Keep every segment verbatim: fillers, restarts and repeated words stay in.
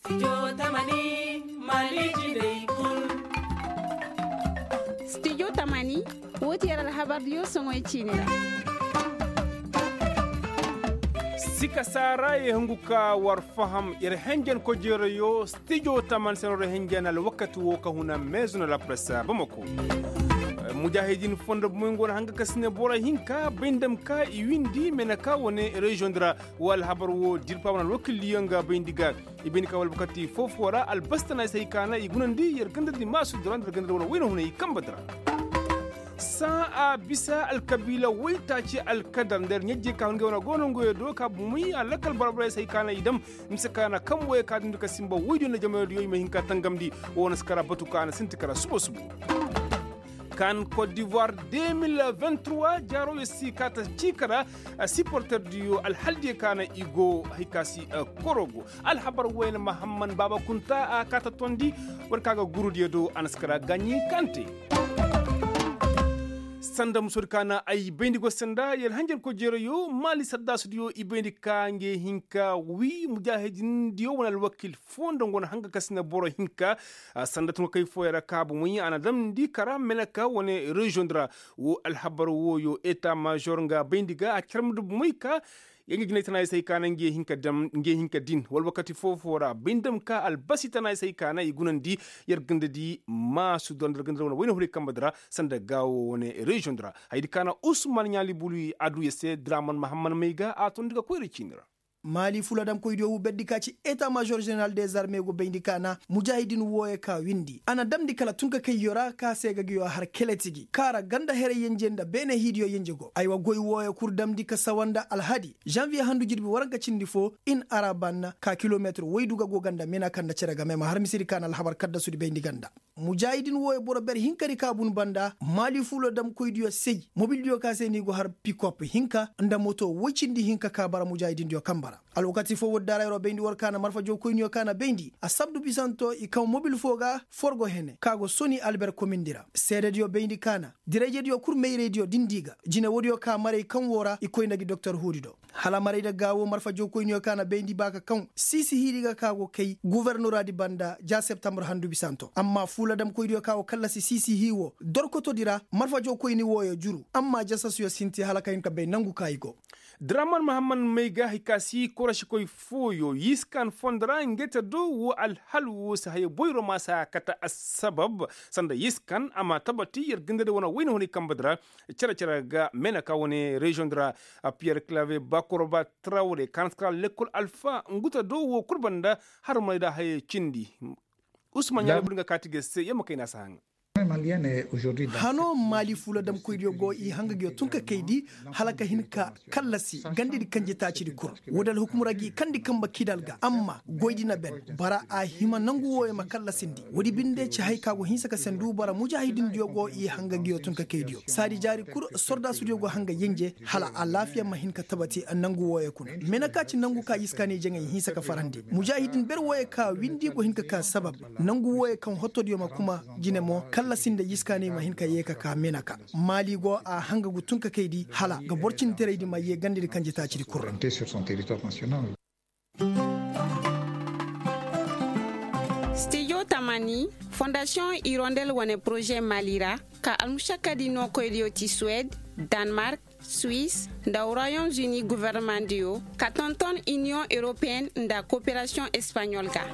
Studio tamani, woo ti yer alhabardiyo soŋoy ciini ra. Sika saara ye hungu ka war faham yer henjen kojeerayo. Studio tamani se no ra henjen alwakati woo ka huna meezo na lapresa bamako. Mujaahidin fondo bomoy nga wane hanga ka si ne boro hinka bay nda ma ka i windi meenaka wane reziyoŋ di ra. Woo alhabar woo dirpa wane alwakildiyo nga bayndi ga. I bayndi ka wala bukati foo-foo ra albasi tana i se hay ka na i gunandi yer ganda di maasu dira nda yer ganda di wala wayna hunay kamba dira. Sãa a bisa alkabiila waytaaci alkadar nda yer ɲajjey ka hun ngey wane goonanguyo do ka bumey a lakal boro-borey se hay ka na i dam. Mise ka na kambuwey ka dundi ka sinba woydiyo nda jamaydiyo i ma hin ka tangamndi. Woo na si kara batu ka na sinti kara subo-subo. Kan kot divoir de mil vingt trois jaaro yer si ka ta ciika ra. Siporterdiyo alhaldiyo ka na i go hay ka si korogo. Alhabar wayna mahamman baaba kunta a ka ta tondi. War ka ga gurudiyo do a na si kara gaaɲi kante. Sanda musodi ka na ay bayndi go sanda yer hanjarkoy jeerayo maali saddaasudiyo i bayndi ka ngey hinka wi mujaahidindiyo wane alwakil foo nda nga wane hanga ka si na boro hinka. Sanda tunkakey fooyaŋ ra ka bomoy a na damndi kara meneka wane reziyoŋ di ra. Woo alhabar wooyo eta maazor nga bayndi ga a carmndi bomoy ka. Yanje jinay tana ay se hay ka na ngey hinka din wala wakati foo-foo ra bay nda ma ka albasi tana ay se hay ka na i gunandi. Yer ganda di maasu dora nda yer ganda di wane wayna huray kambe di ra sanda gaawo wane reziyoŋ di ra. Hayadi ka na usman ɲaali bulu i addu yer se draman mahamman may ga a tondi ga koyra ciini ra. Maali fuladamkoydiyo wuu berdi ka ci eta maazor zeneral dezarme go bayndi ka na mujaahidin wooyo ka windi a na damndi kala tunkakayyo ra ka se ga nguyo har keletigi ka ra ganda heray yenje nda beene hiidiyo yenje go aywa goy wooyo kul damndi ka sawa nda alhadi zanviye handu jirbi waranka cindi foo in araban ka kilometir woydu ga go ganda menaka nda cere game ma har misedi ka na alhabar kaddasudi bayndi ganda. Mujaahidin wooyo boro ber hinkadi ka bun banda maali fuladamkoydiyo sey mobildiyo ka se no i go har pikop hinka nda moto woy cindi hinka ka bara mujaahidindiyo kambe ra. Alwakati foo woodi daarayro bayndi war ka na marfajawkoyniyo ka na bayndi asabdu bisanto i kaw mobil foo ga forgo hene ka go soni alber komindi ra seedediyo bayndi ka na dirayjediyo kul mayraydiyo dindi ga jine woodiyo ka maray kaŋ woo ra i koy nda gi doktor huudi do. Hala maray nda gaawo marfajawkoyniyo ka na bayndi ba ka kaŋ siisi hiiri ga ka go kay gufornoraadi banda ja septambar handu bisanto amma fuuladamkoydiyo ka go kallasi siisi hii woo dorkotodi ra marfajawkoyni wooyo juru amma jasasuyo sinti hala ka hin ka bay nangu ka i go. Draman mahamman may ga hay ka si korosikoy fooyo yiskan fondo ra ngey te do woo alhal woo si haya boyro ma si a kate assabab sanda yiskan a ma tabati yer ganda di wane wayna hunay kambe di ra. Cere-cere ga meenaka wane reziyoŋ di ra. Piyer klave bakoroba trawre ka na si kara lekkol alfa ngu te do woo kul banda har ma day da haya cindi. Usman ɲaali bulu nga kaati ga se yer ma kayna si haŋa. Hano maali fuladamkoydiyo go i hanga nguyo tunkakaydi hala ka hin ka kallasi gandedi kanjetaacidi kul. Woodi alhukumra gi kandi kambe kidal ga amma goydi na ben bara a hima nangu wooyo ma kallasindi woodi binde ci hay ka go hinsa ka sendu bara mujaahidindiyo go i hanga nguyo tunkakaydiyo saadi jaari kul sordaasudiyo go hanga yenje hala alaafiya ma hin ka tabati nangu wooyo kuna. Meenaka ci nangu ka yiskaaney jaŋay hinsa ka farandi mujaahidin ber wooyo ka windi go hin ka ka sabab nangu wooyo kaŋ hotodiyo ma kuma jine mo kallasi nda yiskaaney ma hin ka yee ka ka meenaka. Maali go a hanga gu tunkakaydi hala ga boro cindiraydi ma yee gandedi kanjetaacidi kul ra. Stijo tamani fondasiyoŋ irondel wane poroze maali ra ka almušakkadi nookoydiyo ti suwed, danmark, suis nda royaume-uni gofornomandiyo ka tonton iniyoŋ europeyen nda koperasiyoŋ espaɲol ga.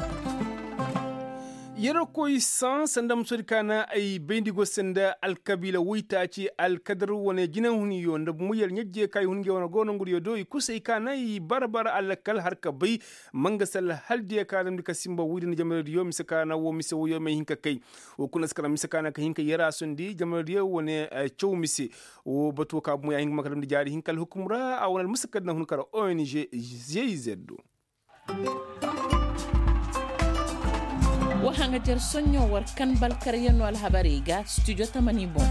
Yerkoy saŋ sanda musodi ka na ay bayndi go sanda alkabiila woytaaci alkadar wane jinahuniyo nda bumuyar ɲajje ka i hun ngey wane goonangudiyo do i kusay ka na i bara-bara alakal har ka bay. Manga salla hala diya ka damndi ka sinba woydi nda jamaradiyo mise ka na woo mise woyo may hin ka kay. Woo kuna si kala mise ka na ka hin ka yaraasundi jamaradiyo wane caw mise. Woo batu woo ka bumo ya hin ka ma ka damndi jaari hinka alhukum ra a wane almusakkadi na hun kara ong. Zez do. Wa haŋajer soɲõ war kan balkaryanoo alhabarey ga studio tamani boŋ.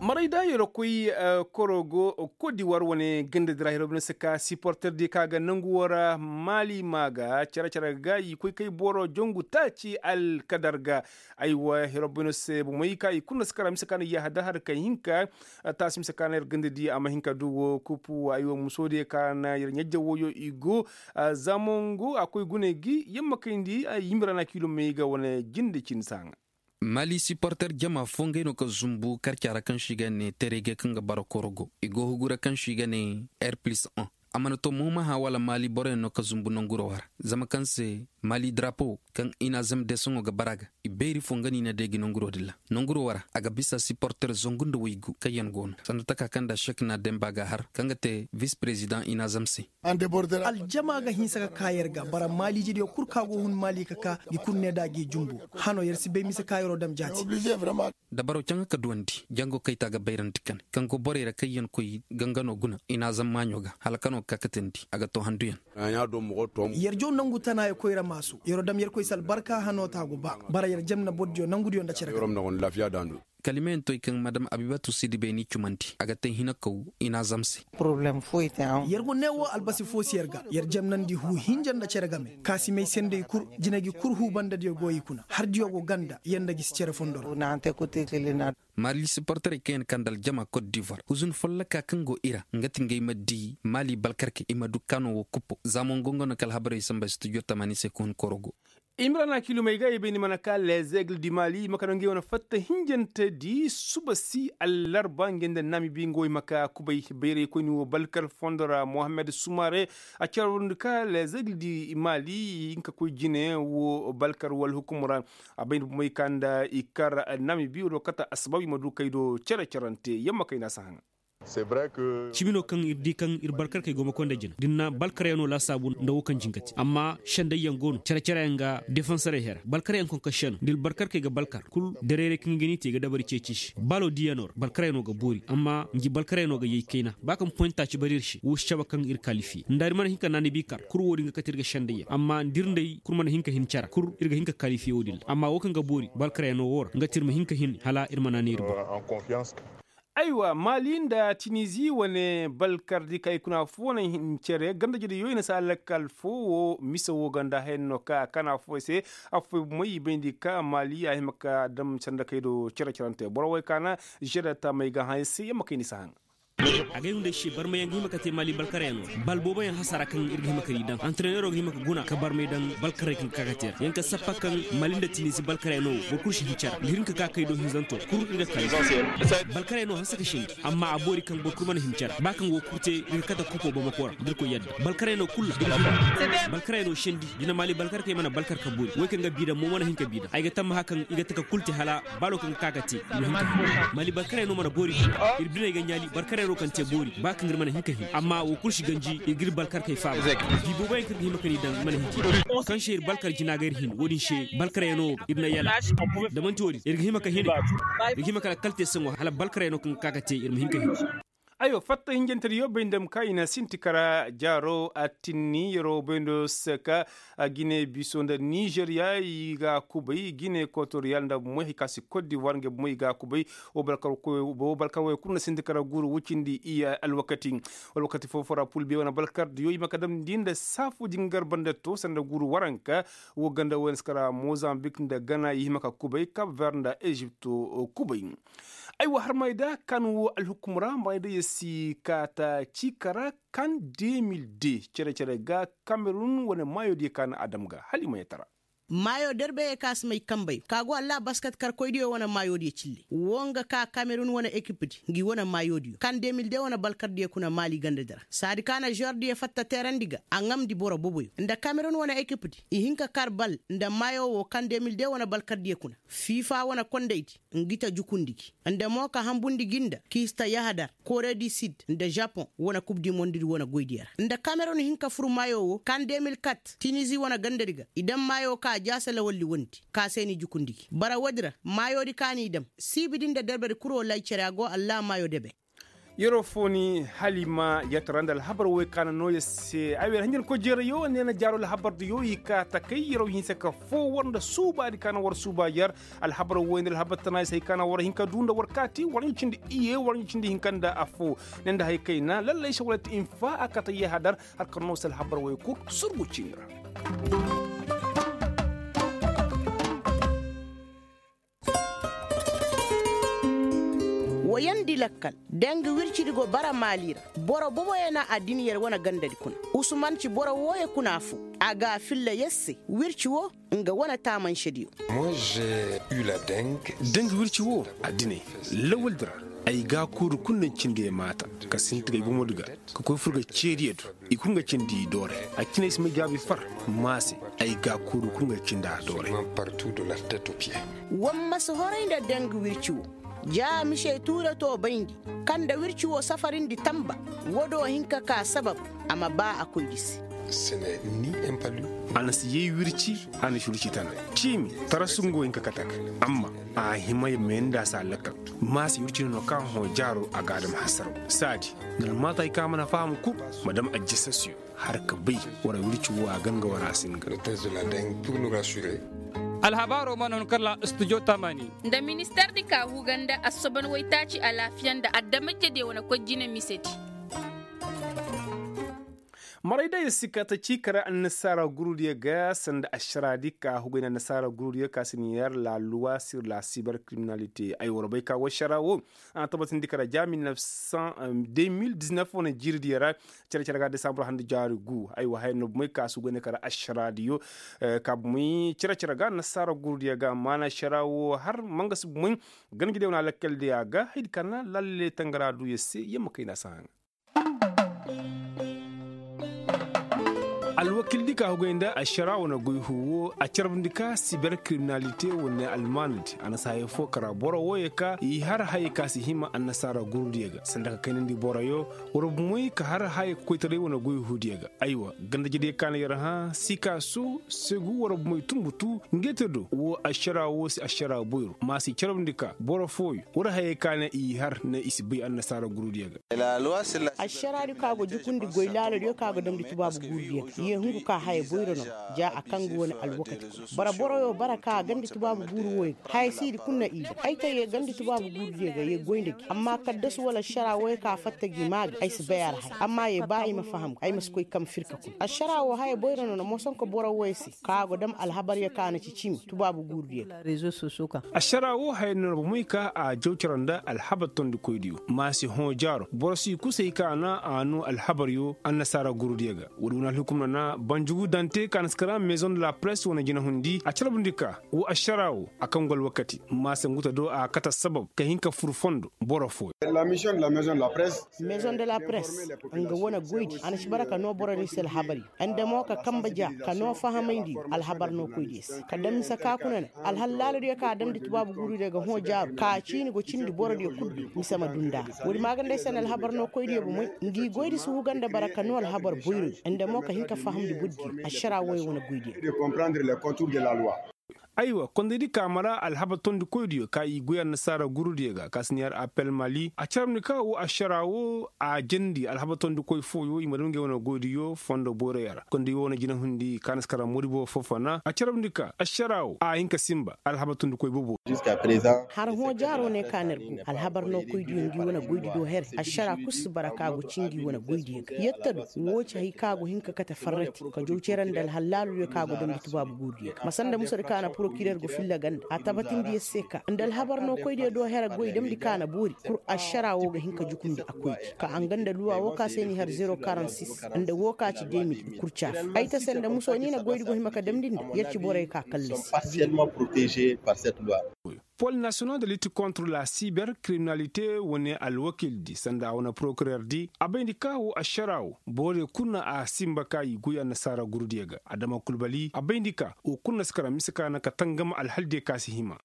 Maray da yerwa koy korogo kodiwar wane ganda dira yerwa bine se ka siporter di ka ga nangu wara maali ma ga care care ga i koy kay boro jongu taaci alkadar ga. Aywa yerwa bine se bomey ka i kulu na se kara mise ka na yahadar har kay hinka taasi mise ka na yer ganda di a ma hin ka du wo kupu aywa muso di ka na yer ɲajja woyo i go. Zamangu a koy gune gi yamma kayndi yimbira na kiilomey ga wane jinde cindi se haŋa. Mali siporter jama fo ngey no ka zumbu karca ra kaŋ se i ga ne terege kaŋ ga bara korogo i go hugu ra kaŋ se i ga ne r plus un. A mana to mooma hã wala mali boroyaŋ no ka zumbu nanguro ra zama kaŋ se mali drapo kaŋ i na zam deesoŋo ga bara ga i beeri fo nga no i na deegi nanguro din ra. Nanguro ra a ga bisa siporter zangu nda waygu kaŋ yaŋ go no sanda taka kaŋ nda sek na demba ga har kaŋ ga te vis perezidaŋ i na zam se. Aljama ga hinsa ka ka yer ga bara maaliijediyo kul ka go hun maali ka ka. Gi kul ne da gi jumbu hano yer si bay mise ka yeroo dam jaati. Dabaro caŋa ka duwandi jango kayta ga bayrandi kane kaŋ go borey ra kaŋ yaŋ koy gangano guna i n'a zam maaɲo ga hala kano ga ka katandi a ga to handuyaŋ. Yer jaw nangu tana ya koy ra maasu yeroo dam yer koy se albarka hano ta go ba bara yer jam na bordiyo nangudiyo nda cere ga. Kalimeyaŋ toy kaŋ madam abibatu sidibey n'i cumandi a ga te hinakaw i n'a zam se. Yer go ne wo albasi fo si yer ga yer jemnandi huu hinja nda cere game kaasimey sendey kul jinegi kul huu bandadiyo go i kuna hardiyo go ganda yer nda gisi cere fondo ra. Maali siporterey kaŋ yaŋ kande aljama kot divoir huzun folloka kaŋ go i ra nga ti ngey ma di maali balkarkey i ma du kaano wo kuppo za mo ngo nga no ka alhabarey samba studio tamaani se ka hun korogo. Imrana kilumey ga i bay ni mana ka lezegle di mali i ma ka no ngey wane fatta hinjante di suba si allarba ngey nda namibi nga wo i ma ka kubay bayraykoyni wo balkar fondo ra mohammed sumare. A carwundi ka lezegle di mali i hinka koy jine wo balkar wala hukumu ra. A bay ni bumey ka nda i kar namibi wala kata asabab i ma du kay do cere-cerante yamma kay na si haŋa. Cibi no kaŋ ir di kaŋ ir balkarkey go ma koy nda jina da ir na balkaryaŋo laasaabu nda wo kaŋ jin ga te amma sendayyaŋ go no care-careyaŋ ga defanserey hera balkaryaŋ koŋ ka seno da ir balkarkey ga balkar kul dareeray kaŋ ga ni te i ga dabari ceeci se baalo diiyaŋo ra balkaryaŋo ga boori amma ngi balkaryaŋo ga yay kayna ba kaŋ poyinta ci bari ir se wo si cabe kaŋ ir kalifiye nda ir mana hin ka naani bi kar kul wo-din ga kate ir ga sendayyaŋ amma nda ir nda ir kul mana hin ka hin cara kul ir ga hin ka kalifiye wo-din ra amma wo kaŋ ga boori balkaryaŋo wo ra nga te ir ma hin ka hin hala ir ma naani ir boŋ. Aywa maali nda tinizi wane balkardi ka i kuna fo na hin cere ganda jede yoy na si a lakkal fo wo mise wo ganda hayan no ka a kana fo se. Afo moy i bayndi ka maali a hima ka dam sanda kay do cere cerante boro way ka na jede tamay ga hayan se yamma kay ni si haŋ. Agay hunday se barmayaŋ ga hima ka te maali balkaryaŋo bal booboyaŋ hasara kaŋ ir ga hima ka di daŋ antrenero ga hima ka guna ka barmay daŋ balkaray kaŋ ga ka ka te ra yaŋ ka sappa kaŋ maali nda tinizi balkaryaŋo boro kulu si hin cere ga hin ka ka kay do hinzanto kul ir ga kay. Balkaryaŋo hanse ka sindi amma a boori kaŋ boro kulu mana hin cere ba kaŋ go kurte ir ga kate kupo bamako ra da ir koy yadda balkaryaŋo kul ra. Balkaryaŋo sindi jina maali balkar kay mana balkar ka boori way kaŋ ga bi daŋ mo mana hin ka bi daŋ ay ga tammaha kaŋ i ga taka kul te hala baalo kaŋ ga ka ga te. Maali balkaryaŋo mana boori ir biney ga ɲaali balkaryaŋo kaŋ te boori ba kaŋ ir mana hin ka hin amma wo kul si ganji ir ga ir balkar kay faaba. Bi booboyaŋ kaŋ ir ga hima ka ni daŋ mana hin te kaŋ se ir balkar jina ga ir hin wo-din se balkaryaŋo ir na yala. Da manti wo-din ir ga hima ka hine ir ga hima ka lakkal te saŋo hala balkaryaŋo kaŋ ga ka ga te ir ma hin ka hin. Aywa fatta hinjantediyo bay nda ma ka i na sinti kara jaaro a tinni yeroo bay ndo se ka gine biso nda nizeriya i ga kubay gine ekotoriyal nda bomey hay ka si kot divoir ngey bomey i ga kubay. Wo balkar wo kul na sinti kara guuru wucindi i alwakati. Alwakati foo foo ra pulbe wane balkardiyo i ma ka damndi nda saafu jingar banda to sanda guuru waranka. Wo ganda wo na si kara mozambik nda gana i hima ka kubay kab ver nda ezipt kubay. Aywa harmay da kan wo alhukum ra maray da ya si kaata ciika ra kan de mil de cere-cere ga kamerun wane maayo diyo ka na a dam ga hala i ma yatara. Maayo derbe ya ka si may kambey ka go allah basket karkoydiyo wane maayo diyo cille wo nga ka kamerun wane ekip di ngi wane maayo diyo kan de mil de wane balkar diyo kuna maali ganda di ra saadi ka na zor diyo fatta teerandi ga a ŋamndi boro boboyo nda kamerun wane ekip di i hin ka kar bal nda maayo wo kan de mil de wane balkar diyo kuna fiifa wane kondey di ngi ta jukundi gi nda mo ka hambundi gi nda k'i si ta yahadar kore di sid nda japon wane kub di mondi di wane goydiyo ra nda kamerun hin ka fur maayo wo kan de mil kat tinizi wane ganda di ga i daŋ maayo ka a jaasa lawalli wondi ka se n'i jukundi gi bara woodi ra maayo di ka n'i daŋ siibi di nda derbe di kul wo lay cere a go allah maayo debe. Yeroo fooni halima yatara nda alhabar woy ka na noo yer se ay wer hanjankoy jeerayo ne na jaaro alhabar diyo i ka takay yeroo hinse ka foo war nda suubaadi ka na war suuba yer. Alhabar woy nda alhabar tana yer se hay ka na war hin ka duu nda war kaati war ɲa cindi iye war ɲa cindi hinka nda affoo. Ne nda hay kayna lallay se wala ti infa a kata yahadar. Har ka noo se alhabar woy kul surgu ciini ra. Wayandi lakkal deng wircidi go bara maali ra. Boro boboyo na addin yer wane gandadi kuna. Usuman ci boro wooyo kuna foo. A ga a filla yer se wirci woo nga wane taamansediyo. Deng wirci woo addiney lawaldi ra. Ay gaakuudu kul na cindi yer maata ka sinti ga ay bomodi ga ka koy fur ga ceediyo do. I kul nga cindi i doore. A ciney si may jaabi far maa se. Ay gaakuudu kul nga cindi a doore. War ma si horay nda deng wirci woo. Ja mise tuure too bayndi kaŋ nda wirci woo safarindi tanba. Woo do hin ka kaa sabab a ma baa a koydi se. A na si yay wirci. A na si wirci tana ciimi tarasu nga wo hin ka kate a ga. Amma a hima ya meeni nda a si a lakkal. Maa se wirci no no ka hõ jaaro a ga a dam hasaraw. Saadi nda almaata hay ka a mana faham kul ma dam ajjasasiyo. Har ka bay war wirci woo a gan ga war a singa. Alhabaaroo mana hun kala studio tamani. Nda ministardi ka huga nda assoban waytaaci alaafiya nda adamajediyo wane koy jine misedi. Maray da yer si ka ta ciika ra annasaara gurudiyo ga sanda ašaraadi ka huga nda annasaara gurudiyo ka si ni yer la luwa sir la siber kiriminalite ay war bay ka war ašaraa woo. A na tabatindi kara ja mil nef san de mil diznef wane jiiridiyo ra. Cere cere ga desambur handi jaari gu ay wa haya nobumay ka si goyne kara ašaraadiyo. Ka bumay cere cere ga annasaara gurudiyo ga maana ašaraa woo har mangasi bumay. Ganjediyo wane alakkaldiyo a ga haydi ka na lalle tangara duuyo se yamma kayna si haŋa. Alwakildi ka hugay nda ašaraa wane goy huuwo a carbundi ka siber kiriminalite wane almaanadi a na si haya foo kara boro wooyo ka i har haya ka si hima annasaara gurudiyo ga sanda ka kaynandi boroyo. War bumey ka har haya koytaray wane goy huudiyo ga aywa gandajediyo ka na yer hã sikaasu segu war bumey tunbutu. Ngey te do woo ašaraa woo si ašaraa boyro ma si carbundi ka boro fooyo war hayey ka ne i har ne i si bay annasaara gurudiyo ga. Ašaraadi ka go jukundi goy laaladiyo ka go damndi tubaabu guurudiyo ga ye hungu ka haya boyro no. Ja a kaŋ ga wane alwakati kuna bara boroyo bara ka a gandi tubaabu guuru wooyo ga haya siidi kul na i ga ay te ye gandi tubaabu guurudiyo ga ye goy nda gi amma kaddasu wala ašaraa wooyo ka fatta gi maa ga ay si bay a ra haya amma ye ba i ma faham ga ay ma si koy kam firka kuna ašaraa woo haya boyro no na mosonko boro wooyo se ka go dam alhabaryo ka na ci cimi tubaabu guurudiyo ga. Ašaraa woo haya no na bomey ka a jaw cere nda alhabar tondikoydiyo ma si hõ jaaro boro si kusay ka na a noo alhabaryo annasaara gurudiyo ga. Woodi wane alhukumna na banjugu dante ka na si kara maison de la presse wane jinahundi a carbundi ka woo ašaraa woo a kaŋ go alwakati ma si nguta do a kate sabab ka hin ka fur fondo boro fooyo. Maison de la presse nga wane goydi a na si bara ka noo boro din se alhabari nda mo ka kambe ja ka noo fahamayndi alhabar nookoydiyo se ka daŋ mise ka kuna na alhal laaladiyo ka a damndi tubaabu guurudiyo ga hõ jaaro ka ciini go cindi borodiyo kul do mise ma duu nda a ra woodi maaganda ay se na alhabar nookoydiyo bomey ngi goydi si huga nda bara ka noo alhabar boyroyo nda mo ka hin ka fahamndi bordiyo ašaraa wooyo wane goydiyo ga. Aywa kondaydi ka mara alhabar tondikoydiyo ka i goy annasaara gurudiyo ga ka si neera apel mali a carabndi ka woo ašaraa woo a jandi alhabar tondikoy fooyo i ma dam ngey wane goydiyo fondo boyroyo ra kondaydi woo wane jinahundi ka na si kara moodi boobo foo fana a carabndi ka ašaraa woo a hin ka sinba alhabar tondikoy boobo. Har hõ jaaroo ne ka na ir go alhabar nookoydiyo ngi wane goydi do here ašaraa kul si bara ka go ci ngi wane goydiyo ga yetta do woo ci hay ka go hin ka kate farrati ka jaw cere nda alhal laaladiyo ka go damndi tubaabu guurudiyo ga ma sanda musadi ka na porokirer go filla ganda a tabatindi yer se ka nda alhabar nookoydiyo do here goy damndi ka na boori pur ašaraa woo ga hin ka jukundi a koydi ka a nga nda luwa woo ka se n'i har zero karansis nda woo ka ci demil i kul caafa ay ta se nda muso ni na goydi go hima ka damndi nda yer ci borey ka kallasi. Pol nasiyonal de lit kontre la siber kiriminalite wane alwakildi sanda a wane porokirer di a bayndi ka woo ašaraa woo borodiyo kul na a sinba ka i goy annasaara gurudiyo ga adama kulbali a bayndi ka woo kul na si kara mise ka na ka tangam alhaldiyo ka si hima.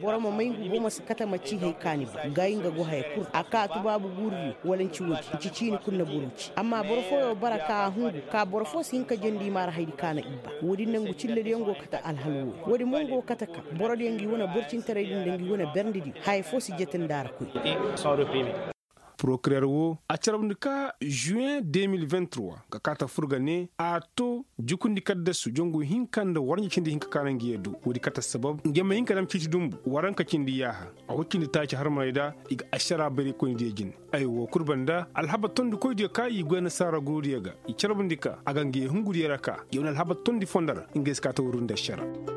Boro ma may ngu bomo si kate ma ci hay ka ni ba gaay nga go haya kul a ka tubaabu guurudiyo wala nci woodi nci ciini kul na boro ci amma boro fooyo bara ka a hungu ka boro foo si hin ka jandi i ma ra haydi ka na i ba woodi nangu cillediyo ngo kate alhal wooyo woodi mo ngo kate ka borodiyo ngi wane borcintaraydi nda ngi wane berndediyo haya foo si jete nda a ra koy. Porokirer wo a carabndi ka žuwen de mil vingt trois ga kaa ta fur ga ne a to jukundi kaddasu jangu hinka nda warɲe cindi hinka ka na nga yee du. Woodi kate assabab nga ma hin ka dam ciiti dunbu waranka cindi yaaha. A wo cindi taaci harmaney da i ga ašaraa bayraykoynidiyo jine. Ay woo kul banda alhabar tondikoydiyo ka i goy nasaara gurudiyo ga i carabndi ka a ga nga yee hungudiyo ra ka yee wane alhabar tondi fondo ra. Nga ay si kaa ta wurru nda ašaraa.